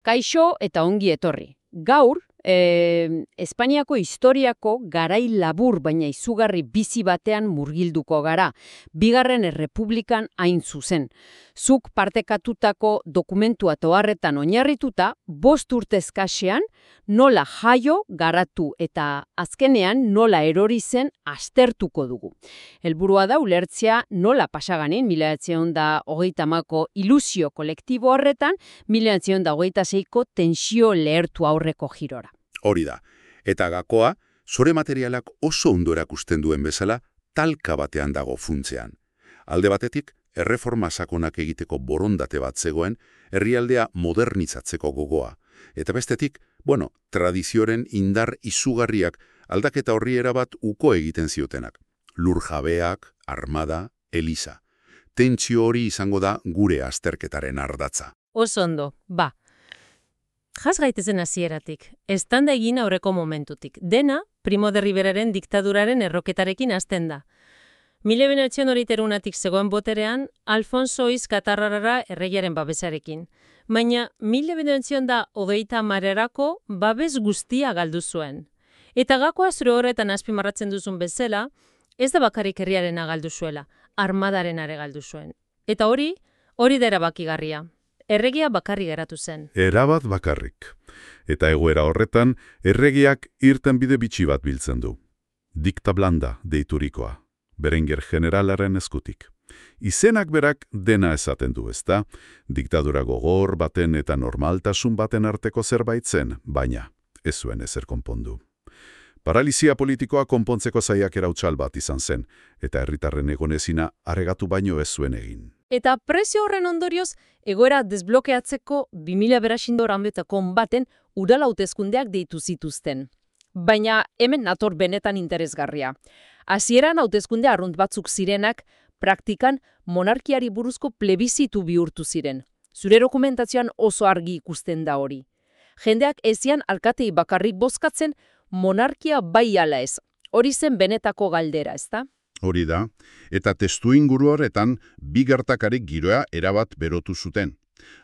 Kaixo eta ongi etorri. Gaur, Espainiako historiako garai labur baina izugarri bizi batean murgilduko gara, Bigarren Errepublikan hain zuzen. Zuk partekatutako dokumentua toharretan oinarrituta, 5 urte eskasean, nola jaio, garatu eta azkenean nola erori zen aztertuko dugu. Helburua da ulertzea nola pasaganin 1930ko ilusio kolektibo horretan, 1926ko tensio lehertu aurreko girora. Hori da. Eta gakoa, zure materialak oso ondo erakusten duen bezala, talka batean dago funtzean. Alde batetik, erreforma sakonak egiteko borondate bat zegoen, herrialdea modernizatzeko gogoa. Eta bestetik, tradizioaren indar izugarriak aldaketa horri erabat uko egiten ziotenak. Lurjabeak, armada, eliza. Tentsio hori izango da gure azterketaren ardatza. Oso ondo, ba. Jas gaitezen hasieratik, eztanda egin aurreko momentutik. Dena, Primo de Riveraren diktaduraren erroketarekin hasten da. 1931tik zegoen boterean, Alfonso Iz Katarrarara erregiaren babesarekin. Baina 1930erako babes guztia galdu zuen. Eta gakoa zure horretan azpimarratzen duzun bezala, ez da bakarrik herriarena galdu zuela, armadaren galdu zuen. Eta hori da erabakigarria. Erregia bakarrik geratu zen. Erabat bakarrik. Eta egoera horretan, erregiak irtenbide bitxi bat biltzen du. Dikta blanda deiturikoa, Berenguer generalaren eskutik. Izenak berak dena esaten du, ezta? Diktadura gogor baten eta normaltasun baten arteko zerbait zen, baina ez zuen ezer konpondu. Paralizia politikoa konpontzeko saiakera hutsal bat izan zen, eta herritarren egonezina aregatu baino ez zuen egin. Eta presio horren ondorioz, egoera desblokeatzeko 2000 berasindor hanbetako baten udal hauteskundeak deitu zituzten. Baina hemen nator benetan interesgarria. Hasieran hauteskunde arrunt batzuk zirenak, praktikan monarkiari buruzko plebizitu bihurtu ziren. Zure dokumentazioan oso argi ikusten da hori. Jendeak ezian alkatei bakarrik bozkatzen, monarkia bai ala ez. Hori zen benetako galdera, ezta? Hori da, eta testuinguru horretan bi gertakarik giroa erabat berotu zuten.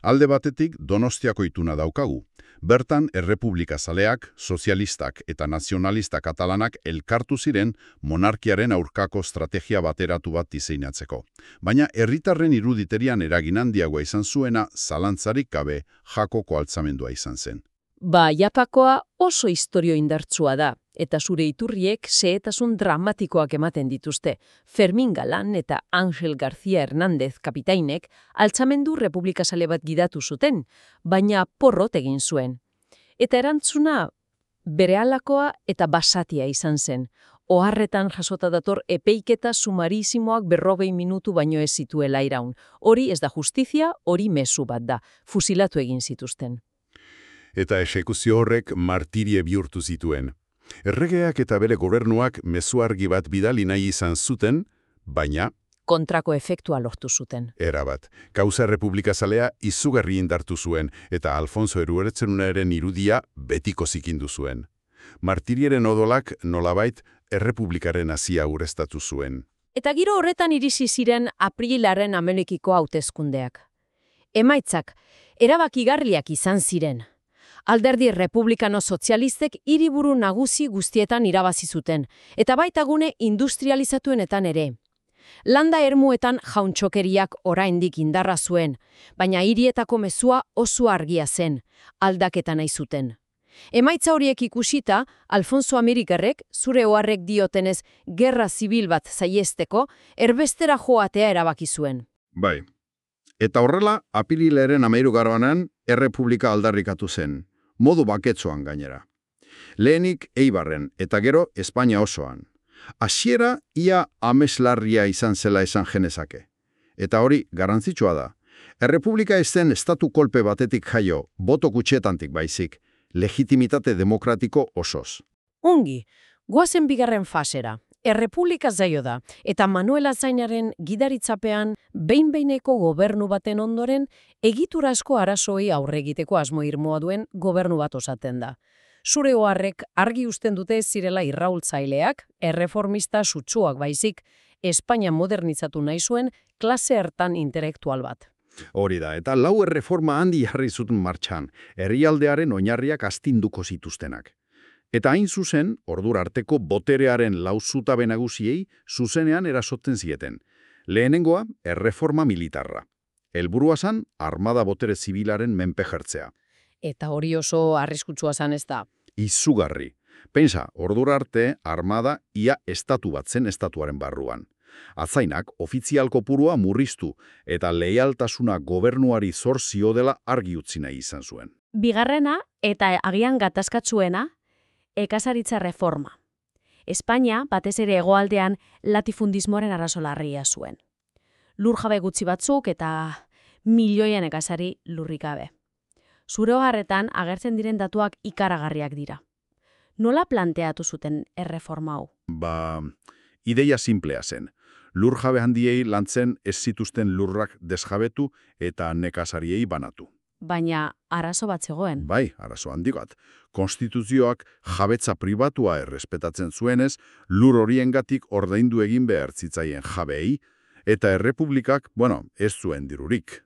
Alde batetik Donostiako ituna daukagu. Bertan errepublikazaleak, sozialistak eta nazionalista katalanak elkartu ziren monarkiaren aurkako estrategia bateratu bat diseinatzeko. Baina herritarren iruditerian eragin handiagoa izan zuena zalantzarik gabe Jakoko altzamendua izan zen. Ba, Japakoa oso istorio indartsua da, eta zure iturriek xehetasun dramatikoak ematen dituzte. Fermin Galan eta Ángel García Hernández kapitainek altzamendu republikazale bat gidatu zuten, baina porrot egin zuen. Eta erantzuna berehalakoa eta basatia izan zen. Oharretan jasota dator epeiketa sumarizimoak 40 minutu baino ez zituela iraun. Hori ez da justizia, hori mezu bat da. Fusilatu egin zituzten. Eta exekuzio horrek martirie bihurtu zituen. Erregeak eta bere gobernuak mezu argi bat bidali nahi izan zuten, baina kontrako efektua lortu zuten. Erabat, kauza republikazalea izugarri indartu zuen, eta Alfonso Eruertzenunaren irudia betiko zikindu zuen. Martirieren odolak nolabait errepublikaren hasia ureztatu zuen. Eta giro horretan irisi ziren aprilaren Amerikiko hauteskundeak. Emaitzak erabakigarriak izan ziren. Alderdi republikano sozialistek hiriburu nagusi guztietan irabazi zuten, eta baita gune industrializatuenetan ere. Landa ermuetan jauntxokeriak oraindik indarra zuen, baina hirietako mezua oso argia zen, aldaketa nahi zuten. Emaitza horiek ikusita, Alfonso Amerikarrek, zure oharrek diotenez gerra zibil bat saiesteko, erbestera joatea erabaki zuen. Bai. Eta horrela, apirilaren 13 errepublika aldarrikatu zen. Modu baketzoan gainera. Lehenik Eibarren eta gero Espainia osoan. Hasiera ia ameslarria izan zela esan genezake. Eta hori garrantzitsua da. Errepublika ez zen estatu kolpe batetik jaio, boto kutxetantik baizik, legitimitate demokratiko osoz. Ongi, goazen bigarren fasera. Errepublika zaio da, eta Manuel Azañaren gidaritzapean behin-behineko gobernu baten ondoren egiturazko arazoei aurre egiteko asmo irmoa duen gobernu bat osatzen da. Zure oharrek argi uzten dute zirela irraultzaileak, erreformista sutsuak baizik, Espainia modernizatu nahi zuen klase hartan intelektual bat. Hori da, eta lau erreforma handi jarri zuten martxan, herrialdearen oinarriak astinduko zituztenak. Eta hain zuzen, ordura arteko boterearen lauzutabe nagusiei zuzenean erasotzen zieten. Lehenengoa, erreforma militarra. Helburua zan, armada botere zibilaren menpe jartzea. Eta hori oso arriskutsua zan ez da. Izugarri. Pensa, ordura arte, armada ia estatu bat zen estatuaren barruan. Atzainak ofizial kopurua murriztu eta leialtasuna gobernuari zor ziodela argi utzi nahi izan zuen. Bigarrena eta agian gatazkatsuena, ekazaritza reforma. Espainia, batez ere hegoaldean, latifundismoaren arazo larria zuen. Lur jabe gutxi batzuk eta milioien ekazari lurrik gabe. Zure hogarretan agertzen diren datuak ikaragarriak dira. Nola planteatu zuten erreforma hau? Ideia simplea zen. Lur jabe handiei lantzen ez zituzten lurrak desjabetu eta nekazariei banatu. Baina arazo bat zegoen. Bai, arazo handi bat. Konstituzioak jabetza pribatua errespetatzen zuenez, lur horiengatik ordaindu egin behar zitzaien jabeei, eta errepublikak, ez zuen dirurik.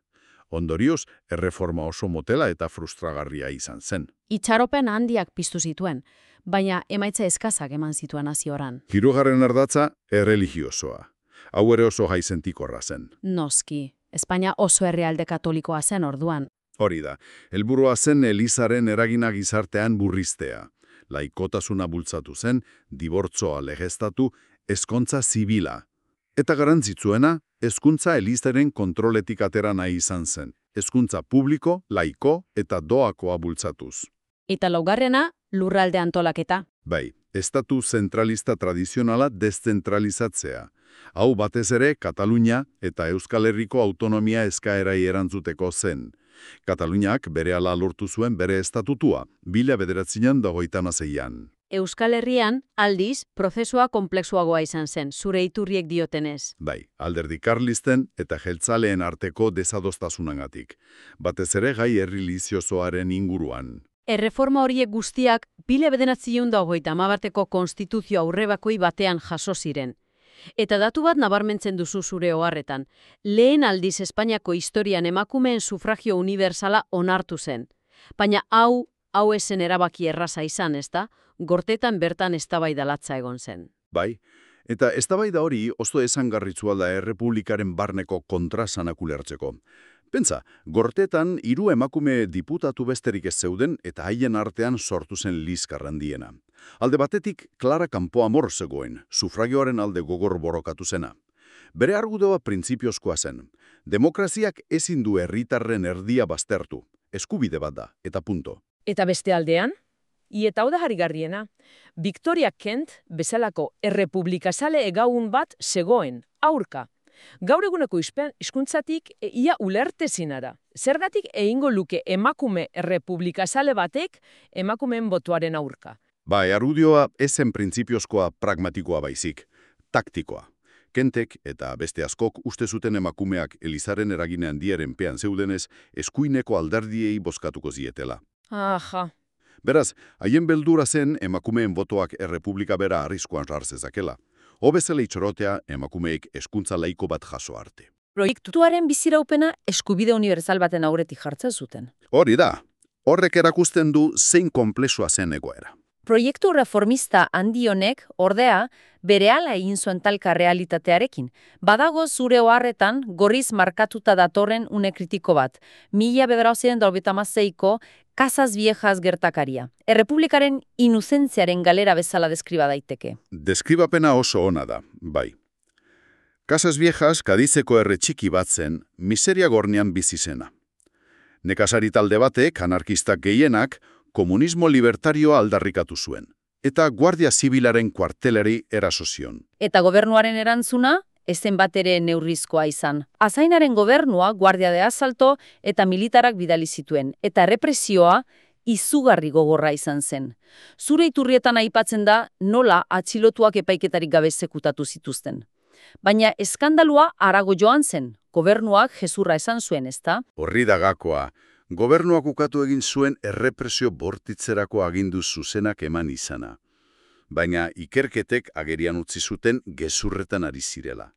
Ondorioz, erreforma oso motela eta frustragarria izan zen. Itxaropen handiak piztu zituen, baina emaitza eskazak eman zituen hazioran. Hirugarren ardatza, erreligiosoa. Hau ere oso jaizentikorra zen. Noski, Espainia oso herrialde katolikoa zen orduan. Hori da, helburua zen Elizaren eragina gizartean burriztea. Laikotasuna bultzatu zen, dibortzoa legeztatu, ezkontza zibila. Eta garantzitsuena, hezkuntza Elizaren kontroletik atera nahi izan zen. Hezkuntza publiko, laiko eta doakoa bultzatuz. Eta laugarrena, lurralde antolaketa. Bai, estatu zentralista tradizionala deszentralizatzea. Hau batez ere Katalunia eta Euskal Herriko autonomia eskaerai erantzuteko zen. Kataluniak berehala lortu zuen bere estatutua, 1926an. Euskal Herrian, aldiz, prozesua konplexuagoa izan zen, zure iturriek diotenez. Bai, alderdi karlisten eta jeltzaleen arteko desadostasunagatik. Batez ere gai erlijiosoaren inguruan. Erreforma horiek guztiak 1930ko konstituzio aurrebakoi batean jaso ziren. Eta datu bat nabarmentzen duzu zure oharretan. Lehen aldiz Espainiako historian emakumeen sufragio unibertsala onartu zen. Baina hau esen erabaki erraza izan, ezta? Gortetan bertan eztabaida latza egon zen. Bai, eta eztabaida hori oso esangarritzua da errepublikaren barneko kontrasanak ulertzeko. Pentsa, Gortetan 3 emakume diputatu besterik ez zeuden eta haien artean sortu zen liskar handiena. Alde batetik, Clara Campoamor zegoen, sufragioaren alde gogor borrokatu zena. Bere argudioa printzipiozkoa zen. Demokraziak ezin du herritarren erdia baztertu. Eskubide bat da, eta punto. Eta beste aldean? Eta hau da harrigarriena. Victoria Kent bezalako errepublikazale egaun bat zegoen, aurka. Gaur eguneko hizkuntzatik ia ulertezina da. Zergatik egingo luke emakume errepublikazale batek emakumeen botuaren aurka? Bai, argudioa ezen printzipiozkoa pragmatikoa baizik, taktikoa. Kentek eta beste askok uste zuten emakumeak Elizaren eraginean diaren pean zeudenez, eskuineko alderdiei bozkatuko zietela. Aha. Beraz, haien beldura zen emakumeen botoak errepublika bera arriskuan sartzezakela. Hobezela itxorotea emakumeek hezkuntza laiko bat jaso arte. Proiektuaren biziraupena eskubide unibertsal baten aurretik jartzen zuten. Hori da, horrek erakusten du zein konplexua zen egoera. Proiektu reformista handi honek, ordea, berehala egin zuen talka realitatearekin. Badago zure oharretan gorriz markatuta datorren une kritiko bat. 1996ko Casas Viejas gertakaria. Errepublikaren inuzentziaren galera bezala deskriba daiteke. Deskribapena oso ona da, bai. Casas Viejas Kadizeko herri txiki bat zen, miseria gornean bizi zena. Nekazari talde batek, anarkistak gehienak, komunismo libertarioa aldarrikatu zuen, eta Guardia Zibilaren kuarteleri eraso zion. Eta gobernuaren erantzuna, ezen bat ere neurrizkoa izan. Azainaren gobernua Guardia de Asalto eta militarak bidali zituen, eta represioa izugarri gogorra izan zen. Zure iturrietan aipatzen da nola atxilotuak epaiketarik gabe exekutatu zituzten. Baina eskandalua harago joan zen, gobernuak gezurra esan zuen, ezta? Horri da gakoa. Gobernuak ukatu egin zuen errepresio bortitzerako agindu zuzenak eman izana. Baina ikerketek agerian utzi zuten gezurretan ari zirela.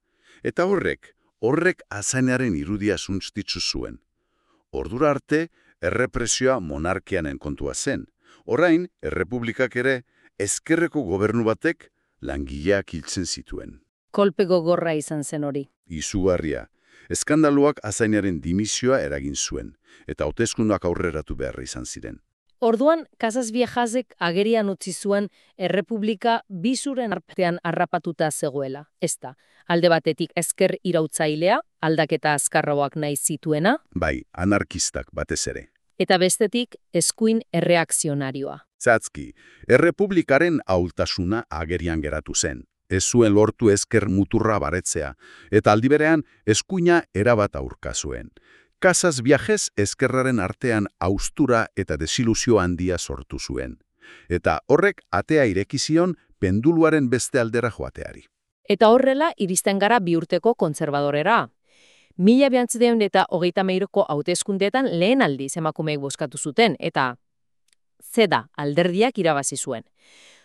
Eta horrek, Horrek azainaren irudia suntztitzu zuen. Ordura arte, errepresioa monarkianen kontua zen. Orain, errepublikak ere, ezkerreko gobernu batek langileak hiltzen zituen. Kolpe gogorra izan zen hori. Izugarria. Eskandaluak azainaren dimisioa eragin zuen, eta hauteskundak aurreratu beharra izan ziren. Orduan, Casas Viejasek agerian utzi zuen errepublika bizuren artean harrapatuta zegoela. Ez da, alde batetik ezker irautzailea, aldaketa azkarroak nahi zituena, Bai, anarkistak batez ere. eta bestetik eskuin erreakzionarioa. Zatzki, errepublikaren ahultasuna agerian geratu zen. Ez zuen lortu ezker muturra baretzea, eta aldi berean eskuina erabat aurka zuen. Casas Viajes ezkerraren artean haustura eta desiluzio handia sortu zuen. Eta horrek atea ireki zion penduluaren beste aldera joateari. Eta horrela iristen gara bi urteko kontserbadorera. 1933ko hauteskundeetan lehen aldiz emakumeek bozkatu zuten, eta zeda alderdiak irabazi zuen.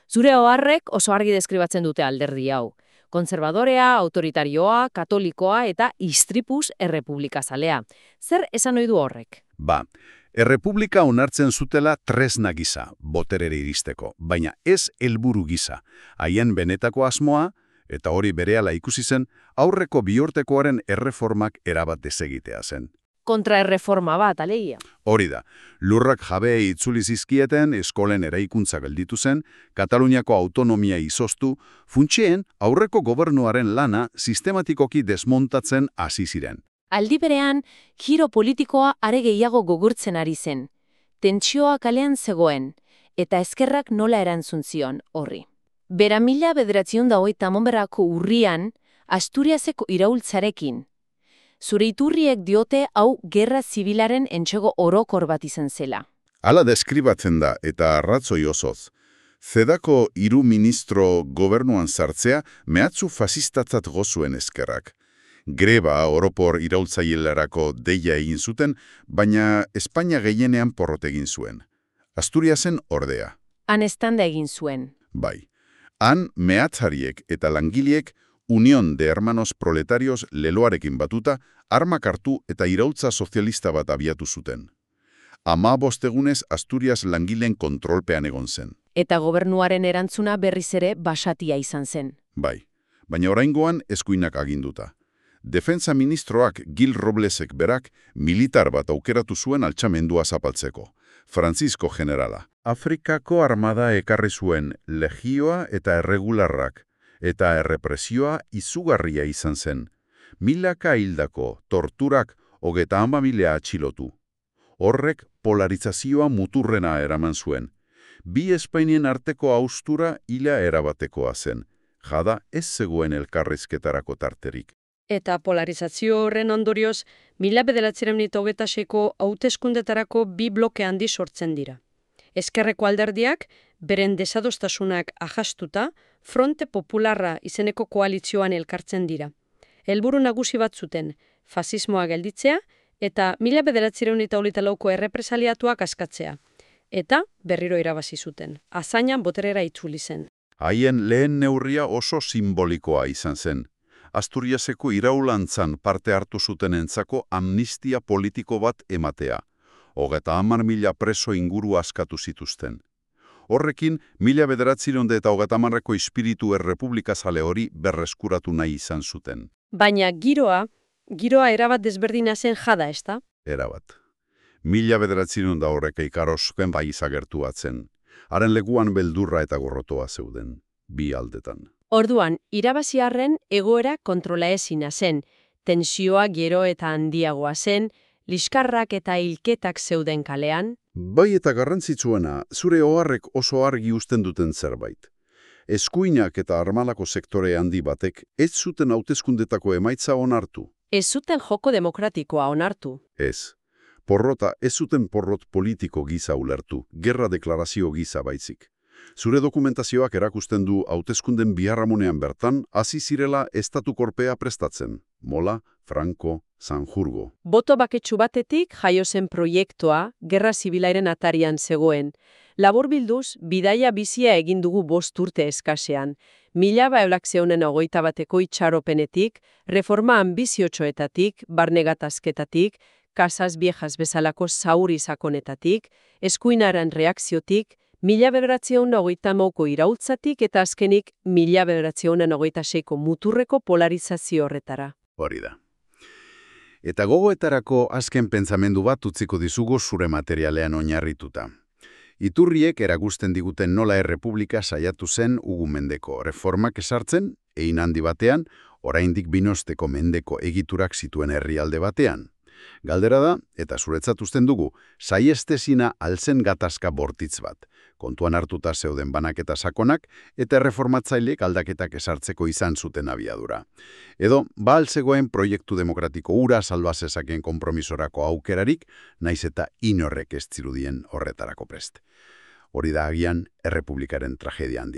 Zure oharrek oso argi deskribatzen dute alderdi hau. Kontserbadorea, autoritarioa, katolikoa eta istripuz errepublikazalea. Zer esan ohi du horrek? Ba, errepublika onartzen zutela tresna gisa, boterere iristeko, baina ez helburu gisa. Haien benetako asmoa, eta hori berehala ikusi zen, aurreko biurtekoaren erreformak erabat desegitea zen. Kontraerreforma bat, alegia. Hori da, lurrak jabeei itzuli zizkieten, eskolen eraikuntza gelditu zen, Kataluniako autonomia izoztu, funtseen aurreko gobernuaren lana sistematikoki desmontatzen hasi ziren. Aldi berean, giro politikoa are gehiago gogurtzen ari zen. Tentsioa kalean zegoen, eta ezkerrak nola erantzun zion horri. Bera 1930ko urrian, Asturiaseko iraultzarekin. Zure iturriek diote hau gerra zibilaren entsego orokor bat izan zela. Hala deskribatzen da eta arratzoi osoz. Zedako 3 ministro gobernuan sartzea mehatzu fasistatzat gozuen ezkerrak. Greba oropor iraultzailearako deia egin zuten, baina Espainia gehienean porrot egin zuen. Asturiasen ordea. Han estanda egin zuen. Bai. Han mehatzariek eta langileek Unión de Hermanos Proletarios leloarekin batuta, armak hartu eta iraultza sozialista bat abiatu zuten. 15 egunez Asturias langileen kontrolpean egon zen. Eta gobernuaren erantzuna berriz ere basatia izan zen. Bai, baina oraingoan eskuinak aginduta. Defensa ministroak Gil Roblesek berak militar bat aukeratu zuen altxamendua zapaltzeko. Francisco generala. Afrikako armada ekarri zuen legioa eta erregularrak, eta errepresioa izugarria izan zen. Milaka hildako, torturak 30.000 atxilotu. Horrek polarizazioa muturrena eraman zuen. Bi Espainien arteko haustura hila erabatekoa zen. Jada ez zegoen elkarrizketarako tarterik. Eta polarizazio horren ondorioz, 1926ko hauteskundetarako bi bloke handi sortzen dira. Ezkerreko alderdiak, beren desadostasunak ahastuta, Fronte Popularra izeneko koalizioan elkartzen dira. Helburu nagusi bat zuten, fasismoa gelditzea eta 1924ko errepresaliatuak askatzea. Eta berriro irabazi zuten. Azainan boterera itzuli zen. Haien lehen neurria oso simbolikoa izan zen. Asturiaseko iraulantzan parte hartu zutenentzako amnistia politiko bat ematea. 30.000 preso inguru askatu zituzten. Horrekin, 1930ko espiritu errepublikazale hori berreskuratu nahi izan zuten. Baina giroa erabat desberdina zen jada, ezta? Erabat. 1930 ikarosken bai izagertu batzen. Haren lekuan beldurra eta gorrotoa zeuden, bi aldetan. Orduan, irabaziarren egoera kontrola ezina zen, tensioa gero eta handiagoa zen, liskarrak eta hilketak zeuden kalean. Bai eta garrantzitsuena, zure oharrek oso argi uzten duten zerbait. Eskuinak eta armalako sektore handi batek ez zuten hauteskundetako emaitza onartu. Ez zuten joko demokratikoa onartu. Ez. Porrota ez zuten porrot politiko giza ulertu, gerra deklarazio giza baitzik. Zure dokumentazioak erakusten du hauteskunden biharramunean bertan, hasi zirela estatukorpea prestatzen. Mola, Franco, Sanjurgo. Boto baketsu batetik jaio zen proiektua gerra zibilaren atarian zegoen. Laburbilduz, bidaia bizia egin dugu 5 urte eskasean. 1921 itxaropenetik, reforma ambiziotxoetatik, barne gatazketatik, Casas Viejas bezalako zauri sakonetatik, eskuinaren reakziotik, 1929ko iraultzatik eta azkenik 1926ko muturreko polarizazio horretara. Hori da. Eta gogoetarako azken pentsamendu bat utziko dizugu zure materialean oinarrituta. Iturriek erakusten diguten nola errepublika saiatu zen Ugu mendeko reformak esartzen, hein handi batean, oraindik binosteko mendeko egiturak zituen herrialde batean. Galdera da, eta zuretzat uzten dugu, saiestezina alzen gatazka bortitz bat, kontuan hartuta zeuden banaketa sakonak eta erreformatzaileek aldaketak esartzeko izan zuten abiadura. Edo, zegoen proiektu demokratiko hura salba zezakeen konpromisorako aukerarik, naiz eta inorrek ez zirudien horretarako prest. Hori da agian errepublikaren tragedia handia.